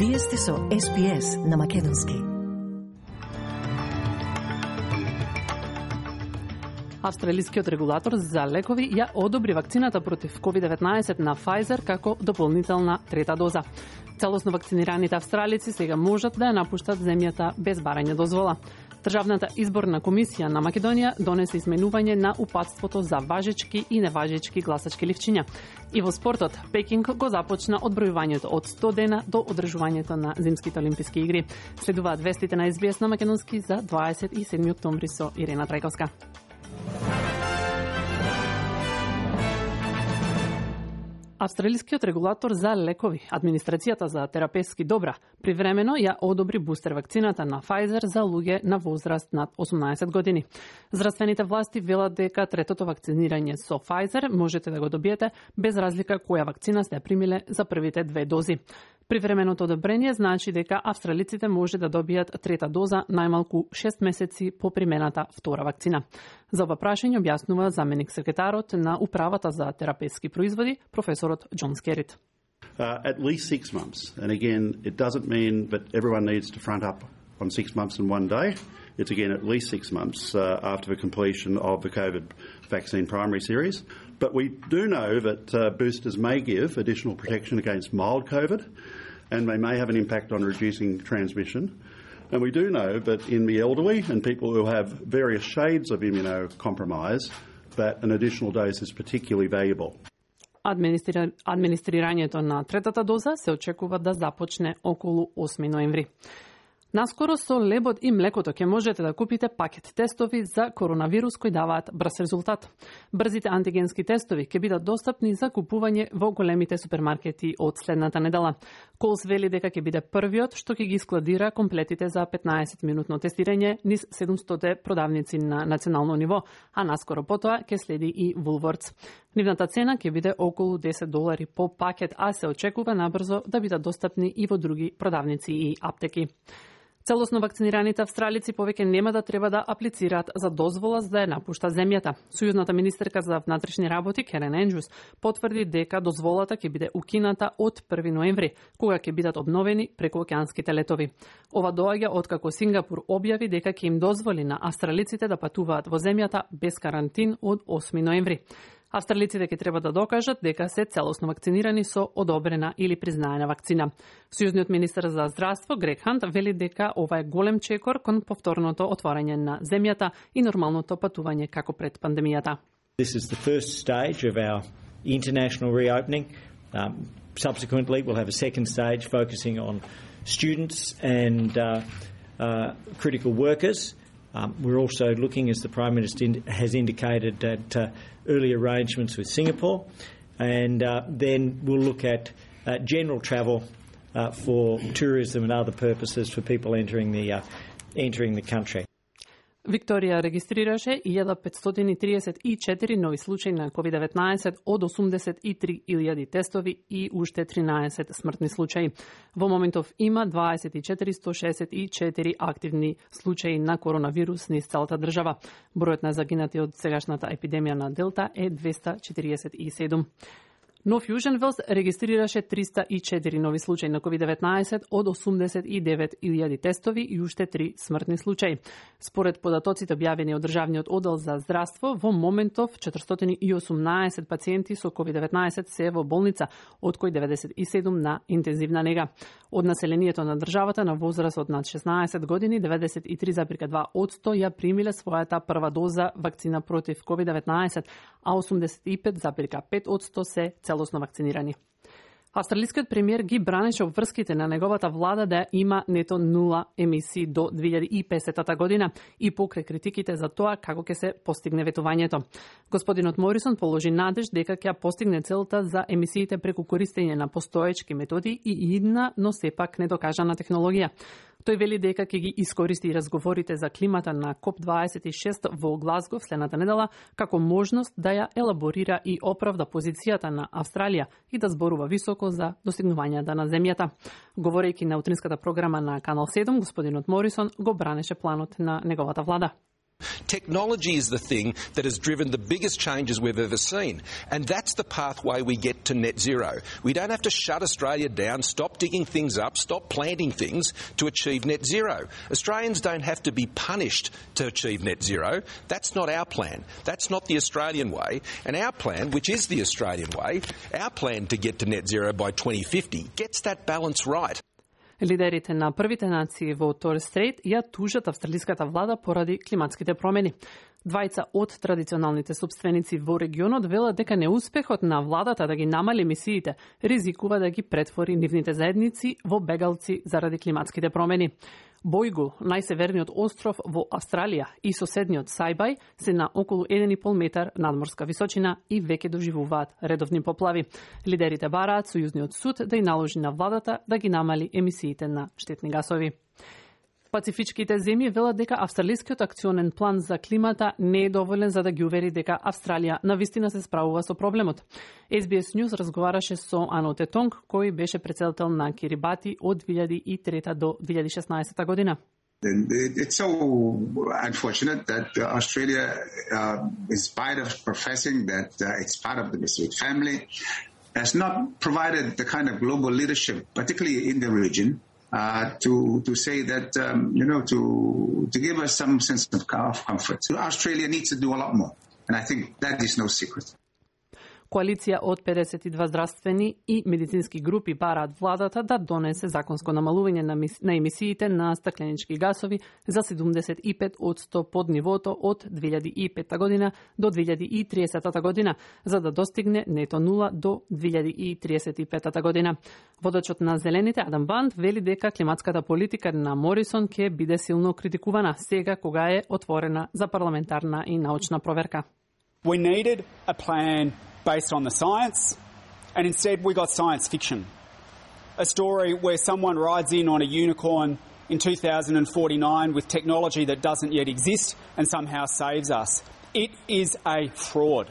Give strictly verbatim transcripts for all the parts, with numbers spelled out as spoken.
Вие сте со Ес Би Ес на Македонски. Австралискиот регулатор за лекови ја одобри вакцината против ковид деветнаесет на Pfizer како дополнителна трета доза. Целосно вакцинираните австралици сега можат да ја напуштат земјата без барање дозвола. Државната изборна комисија на Македонија донесе изменување на упатството за важечки и неважечки гласачки ливчиња. И во спортот, Пекинг го започна одбројувањето од сто дена до одржувањето на Зимските олимписки игри. Следуваат вестите на Ес Би Ес на Македонски за дваесет и седми октомври со Ирена Трајковска. Австралискиот регулатор за лекови, администрацијата за терапевски добра, привремено ја одобри бустер вакцината на Pfizer за луѓе на возраст над осумнаесет години. Здравствените власти велат дека третото вакцинирање со Pfizer можете да го добиете без разлика која вакцина сте примиле за првите две дози. Привременото одобрение значи дека австралиците може да добијат трета доза најмалку шест месеци по примената втора вакцина. За ова прашање објаснува заменик секретарот на управата за терапевски производи, професорот Џон Скерит. Uh, at least six months. And again, it doesn't mean that everyone needs to front up on six months and one day. It's again at least six months uh, after the completion of the COVID vaccine primary series. But we do know that uh, boosters may give additional protection against mild COVID, and they may have an impact on reducing transmission. And we do know that in the elderly and people who have various shades of immunocompromise, that an additional dose is particularly valuable. Администрира... Администрирањето на третата доза се очекува да започне околу осми ноември. Наскоро со лебот и млекото ќе можете да купите пакет тестови за коронавирус кои даваат брз резултат. Брзите антигенски тестови ќе бидат достапни за купување во големите супермаркети од следната недела. Колс вели дека ќе биде првиот што ќе ги складира комплетите за петнаесет минутно тестирање низ седумстотини продавници на национално ниво, а наскоро потоа ќе следи и Woolworths. Нивната цена ќе биде околу десет долари по пакет, а се очекува набрзо да бидат достапни и во други продавници и аптеки. Целосно вакцинираните австралици повеќе нема да треба да аплицираат за дозвола за да ја напушта земјата. Сојузната министерка за внатрешни работи Керен Енџус потврди дека дозволата ќе биде укината од први ноември, кога ќе бидат обновени прекуокеанските летови. Ова доаѓа откако Сингапур објави дека ќе им дозволи на австралиците да патуваат во земјата без карантин од осми ноември. Австралиците ќе треба да докажат дека се целосно вакцинирани со одобрена или признаена вакцина. Сојузниот министер за здравство Грег Хант вели дека ова е голем чекор кон повторното отворање на земјата и нормалното патување како пред пандемијата. This is the first stage of our international reopening. Um, subsequently, we'll have a second stage focusing on students and uh, uh, critical workers. Um, we're also looking, as the Prime Minister in, has indicated, at uh, early arrangements with Singapore, and uh, then we'll look at uh, general travel uh, for tourism and other purposes for people entering the uh, entering the country. Викторија регистрираше илјада петстотини триесет и четири нови случаи на ковид деветнаесет од осумдесет и три илјади тестови и уште тринаесет смртни случаи. Во моментов има дваесет и четири сто шеесет и четири активни случаи на коронавирус низ целата држава. Бројот на загинати од сегашната епидемија на Делта е двеста четириесет и седум. Нов Јужен Велс регистрираше триста и четири нови случаи на ковид деветнаесет од осумдесет и девет илјади тестови и уште три смртни случаи. Според податоците објавени од Државниот оддел за здравство, во моментов четиристотини и осумнаесет пациенти со ковид деветнаесет се во болница, од кои деветдесет и седум на интензивна нега. Од населението на државата на возраст од над шеснаесет години, деветдесет и три зарез и два одсто ја примиле својата прва доза вакцина против ковид деветнаесет, а осумдесет и пет зарез и пет одсто се целосно вакцинирани. Австралискиот премиер ги бранеше обврските на неговата влада да има нето нула емисии до две илјади и песетата година и покрај критиките за тоа како ќе се постигне ветувањето. Господинот Морисон положи надеж дека ќе постигне целта за емисиите преку користење на постоечки методи и идна, но сепак недокажана технологија. Тој вели дека ќе ги искористи разговорите за климата на коп дваесет и шест во Глазго следната недела како можност да ја елаборира и оправда позицијата на Австралија и да зборува високо за достигнувањата на земјата. Говорејќи на утринската програма на Канал седум, господинот Морисон го бранеше планот на неговата влада. Technology is the thing that has driven the biggest changes we've ever seen, and that's the pathway we get to net zero. We don't have to shut Australia down, stop digging things up, stop planting things to achieve net zero. Australians don't have to be punished to achieve net zero. That's not our plan. That's not the Australian way. And our plan, which is the Australian way, our plan to get to net zero by twenty fifty, gets that balance right. Лидерите на првите нации во Торес Стрейт ја тужат австралиската влада поради климатските промени. Двајца од традиционалните собственици во регионот велат дека неуспехот на владата да ги намали емисиите ризикува да ги претвори нивните заедници во бегалци заради климатските промени. Бојгу, најсеверниот остров во Австралија и соседниот Сајбај се на околу еден и пол метар надморска височина и веќе доживуваат редовни поплави. Лидерите бараат Сојузниот суд да ја наложи на владата да ги намали емисиите на штетни гасови. Пацифичките земји велат дека австралискиот акционен план за климата не е доволен за да ги увери дека Австралија навистина се справува со проблемот. Ес Би Ес News разговараше со Ано Тетонг, кој беше председател на Кирибати од две илјади и трета до две илјади и шеснаесета година. It's so unfortunate that uh, Australia, uh, in spite of professing that uh, it's part of the Pacific family, has not provided the kind of global leadership, particularly in the region, Uh, to to say that um, you know to to give us some sense of comfort. So Australia needs to do a lot more, and I think that is no secret. Коалиција од педесет и два здравствени и медицински групи бараат владата да донесе законско намалување на, на емисиите на стакленички гасови за седумдесет и пет одсто под нивото од две илјади и петта година до две илјади и триесета година, за да достигне нето нула до две илјади и триесет и петта година. Водачот на Зелените Адам Банд вели дека климатската политика на Морисон ќе биде силно критикувана сега кога е отворена за парламентарна и научна проверка. We needed a plan based on the science, and instead we got science fiction. A story where someone rides in on a unicorn in two thousand forty-nine with technology that doesn't yet exist and somehow saves us. It is a fraud.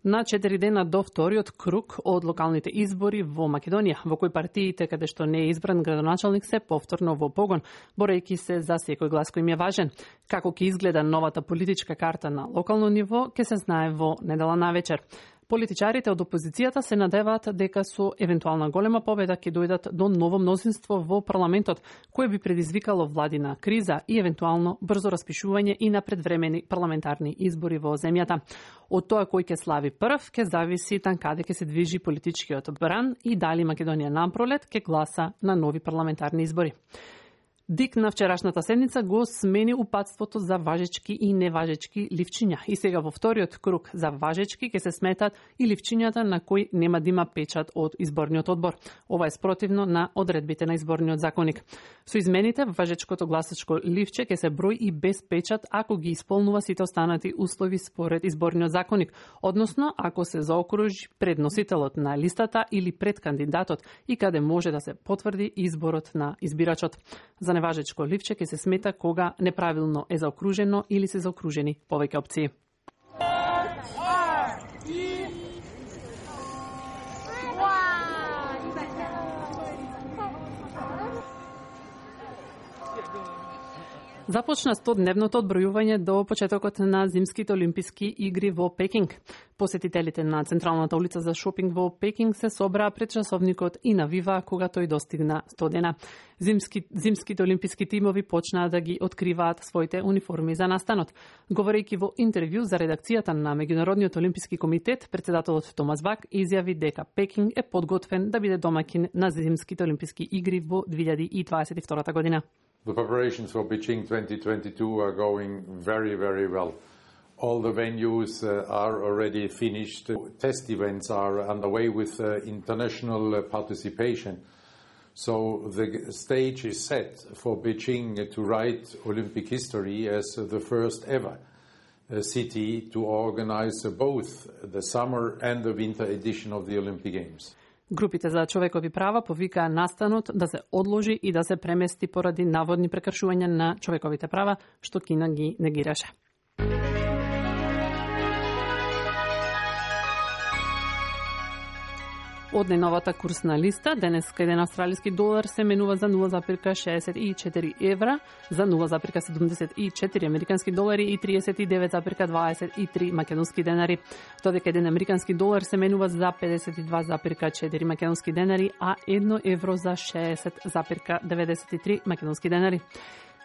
На четири дена до вториот круг од локалните избори во Македонија, во кој партиите каде што не е избран градоначалник се повторно во погон, борејќи се за секој глас кој им е важен. Како ќе изгледа новата политичка карта на локално ниво, ќе се знае во недела навечер. Политичарите од опозицијата се надеваат дека со евентуална голема победа ќе дојдат до ново мнозинство во парламентот, кое би предизвикало владина криза и евентуално брзо распишување и на предвремени парламентарни избори во земјата. Од тоа кој ќе слави прв, ќе зависи тан каде ќе се движи политичкиот бран и дали Македонија напролет ќе гласа на нови парламентарни избори. Дик на вчерашната седница го смени упатството за важечки и неважечки ливчиња. И сега во вториот круг за важечки ќе се сметат и ливчињата на кои нема да има печат од изборниот одбор. Ова е спротивно на одредбите на изборниот законник. Со измените, важечкото гласачко ливче ќе се брои и без печат ако ги исполнува сите останати услови според изборниот законник, односно ако се заокружи пред носителот на листата или пред кандидатот и каде може да се потврди изборот на избирачот. За неважечко ливче ќе се смета кога неправилно е заокружено или се заокружени повеќе опции. Започна стодневното одбројување до почетокот на зимските олимписки игри во Пекинг. Посетителите на централната улица за шопинг во Пекинг се собраа пред часовникот и навиваа кога тој достигна сто дена. Зимски, зимските олимписки тимови почнаа да ги откриваат своите униформи за настанот. Говорејќи во интервју за редакцијата на Меѓународниот олимписки комитет, председателот Томас Бак изјави дека Пекинг е подготвен да биде домаќин на зимските олимписки игри во две илјади и дваесет и втора година. The preparations for Beijing twenty twenty-two are going very, very well. All the venues uh, are already finished. Test events are underway with uh, international uh, participation. So the stage is set for Beijing to write Olympic history as the first ever uh, city to organize uh, both the summer and the winter edition of the Olympic Games. Групите за човекови права повикаа настанот да се одложи и да се премести поради наводни прекршувања на човековите права, што Кина ги негираше. Од најновата курсна листа, денеска еден австралиски долар се менува за нула зарез шеесет и четири евра, за нула зарез седумдесет и четири американски долари и триесет и девет зарез дваесет и три македонски денари, додека еден американски долар се менува за педесет и два зарез четири македонски денари, а едно евро за шеесет зарез деветдесет и три македонски денари.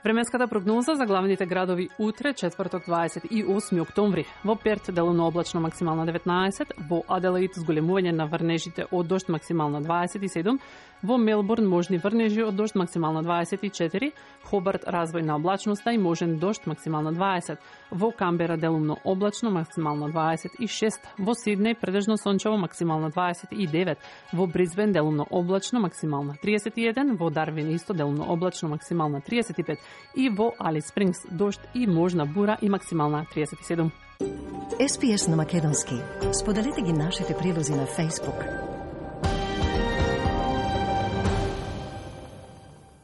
Временската прогноза за главните градови утре, четврток дваесет и осми октомври. Во Перт делумно облачно максимална деветнаесет, во Аделаид зголемување на врнежите од дожд максимална дваесет и седум, во Мелбурн можни врнежи од дожд максимална дваесет и четири, Хобарт развој на облачноста и можен дожд максимална дваесет, во Камбера делумно облачно максимална дваесет и шест, во Сиднеј предежно сончево максимална дваесет и девет, во Брисбен делумно облачно максимална триесет и еден, во Дарвин исто делумно облачно максимална триесет и пет и во Алис Спрингс дожд и можна бура и максимална триесет и седум. Ес Пи Ес на македонски. Споделете ги нашите прилози на Facebook.